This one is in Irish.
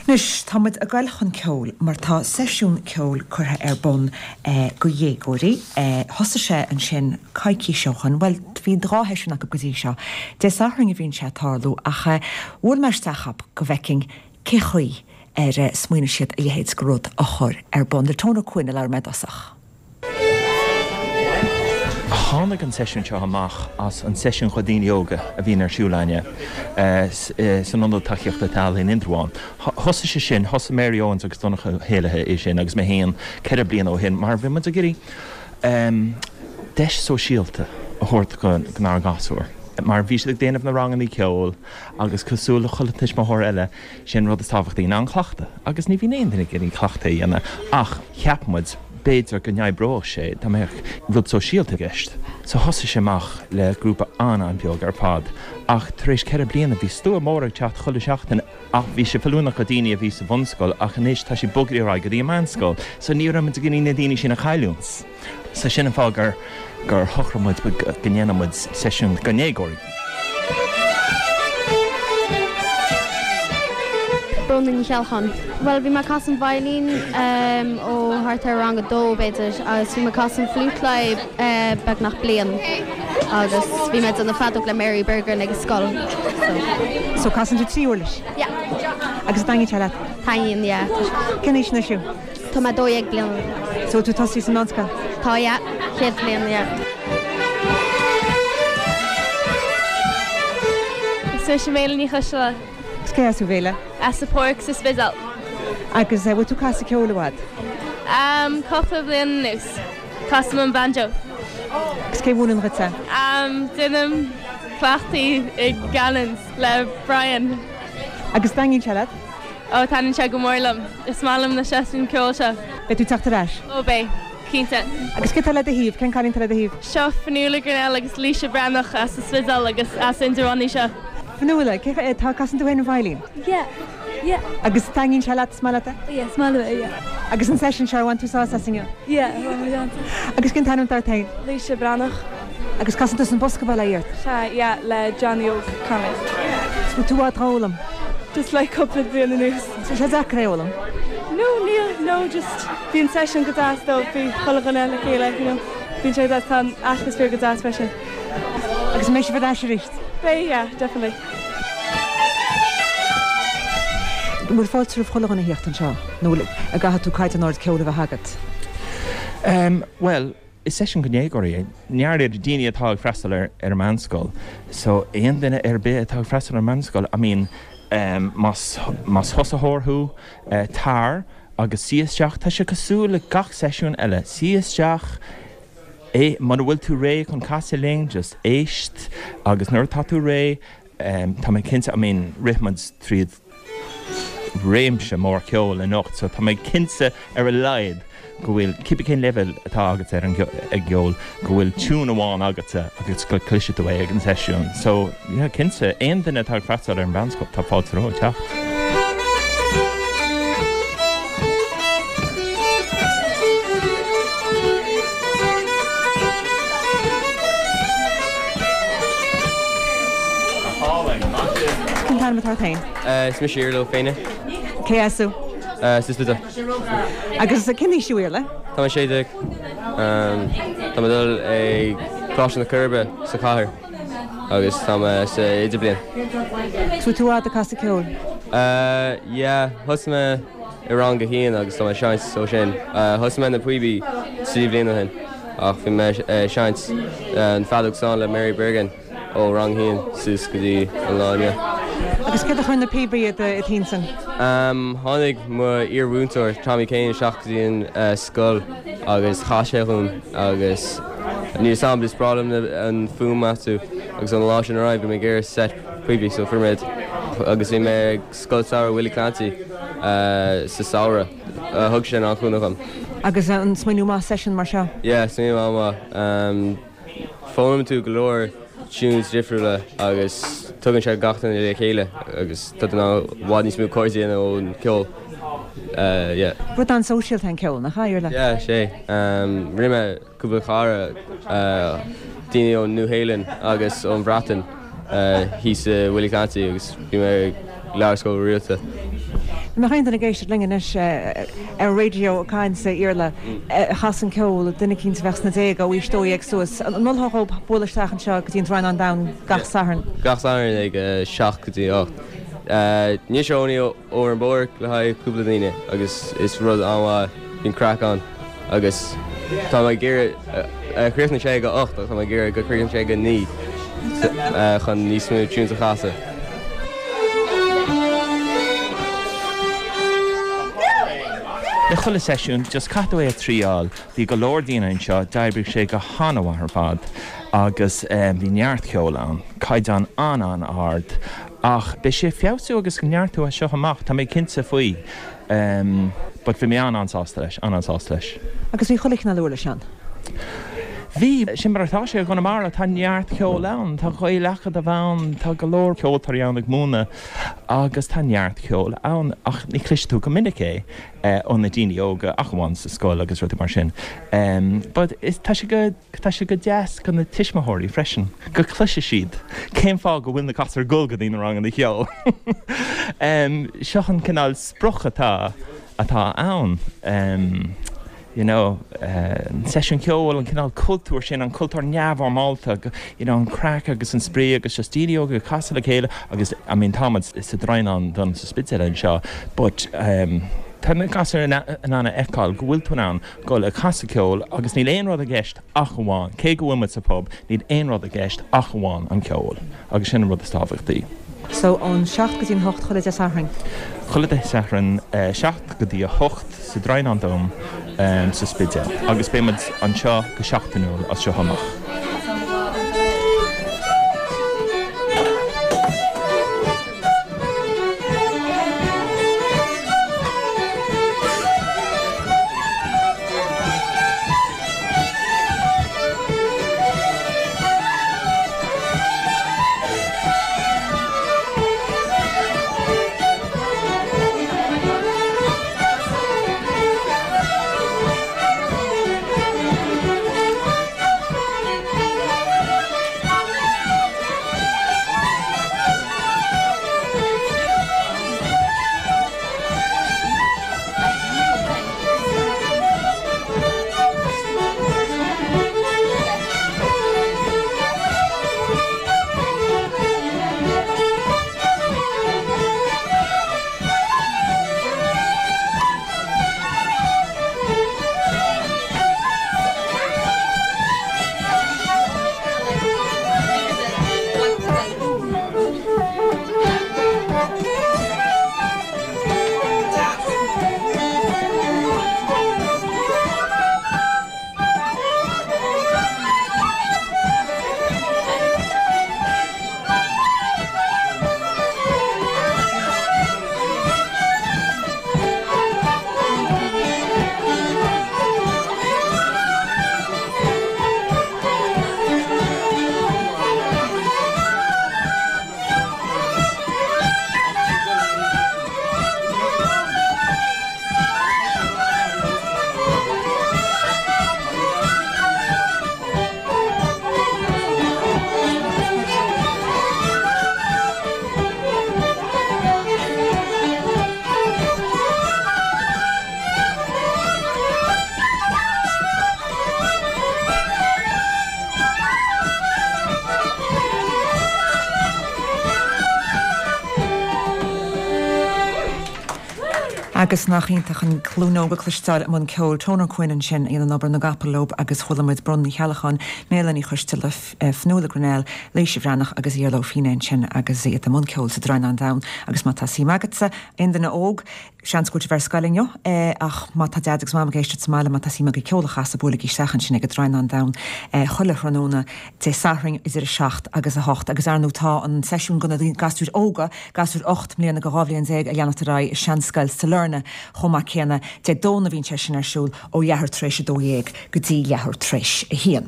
Anois, tá muid ag goil chun ceoil mar tá seisiún ceoil curtha ar bun go dhéagóirí. Thosaigh sé ansin coicís ó shoin, bhuel, bhí 2 sheisiún acu go dtí seo. Dé Sathairn a bhíonn sé ag tarlú ach bhuail mé isteach chucu go bhfeicfinn cé chaoi ar smaoinigh siad a leithéid de rud a chur ar bun. Le Tony Ó Cuinn a labhair mé i dtosach. Tháinig an seisiún seo amach as an seisiún do dhaoine óga a bhíonn ar siúl againne san Ionad Tacaíochta Teaghlaigh in Indreabhán. Thosaigh sé sin, thosaigh Mary Owens agus Donncha Ó hÉallaithe é sin agus mé féin 4 bliana ó shin mar bhí muid ag iarraidh deis sóisialta a thabhairt donár ngasúir mar bhí siad ag déanamh na ranganna ceoil agus cosúil le chuile tuismitheoir eile Sé an rud is tábhachtaí ná an cleachtadh agus ní bhíonn aon duine ag iarraidh cleachtadh a dhéanamh ach cheap muid b'fhéidir go n-oibreodh sé dá mbeadh rud sóisialta i gceist. So thosaigh sé amach le grúpa an-an-bheag ar fad ach tar éis 4 bliana bhí slua mór ag teacht chuile sheachtain ach bhí sé feiliúnach do daoine a bhí sa bhunscoil ach anois tá sé bogtha ar aghaidh go dtí an meánscoil so ní raibh muid ag iarraidh na daoine sin a chailliúint. So sin an fáth gur gur shocraigh muid go ndéanfadh muid seisiún do dhéagóirí. Bróna Ní Cheallacháin. Bhuel, bhí mé ag casadh an veidhlín ó thart ar rang a dó, b'fhéidir, agus bhí mé ag casadh an fliúit le beagnach bliain agus bhí mé ag déanamh feadóg le Mary Bergin ag an scoil. So. So casann tú 3 uirlis? Yeah. Agus an dtaitníonn sé leat? Taitníonn, yeah. Cén aois anois thú? Tá mé 12 bliana. So tú tosaithe sa meánscoil? Tá, yeah. Chéad bhliain, yeah. Is mise Méala Ní Choisteala. Agus cé as thú, Mhéala? As an Pháirc sa Spidéal. Agus bhfuil tú ag casadh ceoil i bhfad? Um, cúpla bliain anuas. Casaim an banjo. Agus cé mhúineann dhuit é? Um, déanaim cleachtaí i Gannon's le Brian. Agus taitníonn sé leat? Ó, taitníonn sé go mór liom. Is maith liom na seisiúin ceoil seo. Beidh tú ag teacht ar ais? Ó, beidh. Cinnte. Agus cé tá le do thaobh? Cén cailín atá le do thaobh? Seo Fionnuala Grinnell agus Laoise Breathnach as an Spidéal agus as Indreabhán í seo. Fionnuala, cé tá, casann tú féin an veidhlín? Yeah. Yeah. Agus taitníonn sé leat? Is maith leat é? Yeah, is maith liom é, yeah. Agus an seisiún seo, ar bhain tú sásamh as inniu? Yeah, bhain mé an-sult. Agus cén t-ainm atá ort féin? Laoise Breathnach. Agus casann tusa an bosca bail ó Dhia ort? Sea, yeah, le Johnny Óg Connolly. Is bhfuil tú i bhfad á fhoghlaim? Just like cúpla bliain anuas. Is bhfuil sé deacair é a fhoghlaim? No, níl, no, just bíonn seisiún go deas though, bhí chuile dhuine le chéile, you know, bíonn sé go deas, tá an atmaisféar go deas freisin. Agus an mbeidh sibh ar ais arís? Beidh, yeah, definitely. An bhfuil fáilte roimh chuile dhuine a theacht anseo nó an gcaithfidh tú caighdeán ard ceoil a bheith agat? Em, bhuel, Is seisiún do dhéagóirí é. I ndáiríre daoine atá ag freastal ar an meánscoil. So aon duine ar bith atá ag freastal ar an meánscoil, I mean más más thosaitheoir thú, tar agus suigh isteach. Tá sé cosúil le gach seisiún eile. Suigh isteach, é muna bhfuil tú réidh chun casadh linn, just éist agus nuair atá tú réidh, tá mé cinnte, I mean rith muid tríd réimse mór ceoil anocht so tá mé cinnte ar a laghad go bhfuil, cibé cén leibhéal atá agat ar an gceol, go bhfuil tiún amháin agatsa agus go gcloisfidh tú é ag an seisiún. So yeah, cinnte, aon duine atá ag freastal ar an mheánscoil, tá fáilte rompu teacht. Cén t-ainm atá ort féin? Is mise Iarla Ó Féinne. Cé as thú? As an Spidéal. Agus cén aois thú, Iarla? Tá mé 16. Tá mé ag dul ag Coláiste na Coiribe sa chathair agus tá mé sa idirbhliain. Is bhfuil tú i bhfad ag casadh ceoil? Yeah, thosaigh mé i rang a haon agus tá mé ag seinnt ó sin. Thosaigh mé na píobaí 3 bhliain ó shin ach bhí mé ag seinnt an feadóg stáin le Mary Bergin. ó rang a haon suas go dtí an lá inniu. Agus céard a chuir na píobaí i d'intinn? Tháinig mo iar-mhúinteoir Tommy Kane isteach go dtí an scoil agus chas sé dhúinn agus níl 'fhios a'm, is breá liom an fuaim astu agus ón lá sin ar aghaidh bhí mé ag iarraidh seit píobaí so fuair mé iad agus bhí mé ag Scoil Samhraidh Willie Clancy sa samhradh, thug sin an-chúnamh dhom. Agus an smaoineamh maith seisiún mar seo? Yeah, smaoineamh an-mhaith. Foghlaimíonn tú go leor tunes difriúla agus tugann sé gach duine le chéile agus tá tú in ann i bhfad níos mó cairde a dhéanamh ón gceol. Yeah. Rud an-sóisialta é an ceol, nach ea, Iarla? Yeah, sé. Rinne mé cúpla cara, daoine ón Nua-Shéalainn agus ón Bhreatain thíos i Willie Clancy agus bhí mé ag labhairt go rialta. Dá mbeadh aon duine ag éisteacht linn anois ar an raidió ag caint, a Iarla, a chasann ceol, duine eicínt a bheadh sna déaga, ó aois 12 suas, an molfá dhóibh bualadh isteach anseo go dtí an Draighneán Donn gach Satharn? Gach Satharn ag 7 go dtí 8. Níl sé only over an bpáirc le haghaidh cúpla daoine agus is rud an-mhaith, bíonn craic ann agus tá mé ag iarraidh, chríochnaigh sé ag a 8 ach tá mé ag iarraidh go críochnóidh sé ag a 9 chun níos mó tunes a chasadh. Le chuile seisiún, just caithfidh tú é a thriáil. Bhí go leor daoine anseo, d'oibrigh sé go han-mhaith ar fad agus bhí neart ceoil ann, caighdeán an-an-ard. Ach beidh sé ag feabhsú agus ag neartú as seo amach, tá mé cinnte faoi. But bhí mé an-an-sásta leis, an-an-sásta leis. Agus bhí chuile chineál uirlis ann? Bhí, sin mar atá sé i gConamara, tá neart ceoil ann, tá Gael-Acadamh ann, tá go leor ceoltóirí ann ag múineadh agus tá neart ceoil ann ach ní chloisfidh tú go minic é ó na daoine óga ach amháin sa scoil agus rudaí mar sin. But tá sé go, tá sé go deas do na tuismitheoirí freisin go gcloisfidh siad cén fáth go bhfuil na gasúir ag dul go dtí na ranganna cheoil. Seo an cineál sprioc atá, atá ann. you know, an seisiún ceoil, an cineál cultúir sin, an cultúr neamhfhoirmeálta, you know, an craic agus an spraoi agus just daoine óga ag casadh le chéile agus, I mean, tá muid sa Draighneán Donn sa Spidéal anseo but tá na gasúir in ann a fheiceáil go bhfuil tú in ann dul ag casadh ceoil agus níl aon rud i gceist ach amháin, cé go bhfuil muid sa phub, níl aon rud i gceist ach amháin an ceol agus sin an rud is tábhachtaí. So, ón 7 go dtí an 8 chuile Dé Sathairn? Chuile Dé Sathairn, 7 go dtí 8 sa Draighneán Donn sa Spidéal agus beidh muid anseo go seachtainiúil as seo amach. Agus nach iontach an ghlúin óg a chloisteáil i mbun ceoil. Toner Quinn ansin a dhéanann obair na gcapall leo agus chuala muid Bróna Ní Cheallacháin, Méala Ní Choisteala, Fionnuala Grennell, Laoise Bhreathnach agus Iarla Ó Feinneadha ansin agus iad i mbun ceoil sa Draighneán Donn. Agus má tá suim agatsa, aon duine óg, Seans go bhfuil sibh ar scoil inniu, ach má tá Daid agus Mam ag éisteacht sa mbaile, má tá suim agaibh ceol a chasadh, buailigí isteach ansin ag an Draighneán Donn chuile thráthnóna Dé Sathairn idir 7 agus 8. Agus ar ndóigh tá an seisiún do na gasúir óga, gasúir 8 mbliana go 12 bhliain, ag leanacht ar aghaidh i Seanscoil Sailearna chomh maith céanna. Dé Domhnaigh a bhíonn sé sin ar siúl ó leathuair tar éis 12 go dtí leathuair tar éis 1.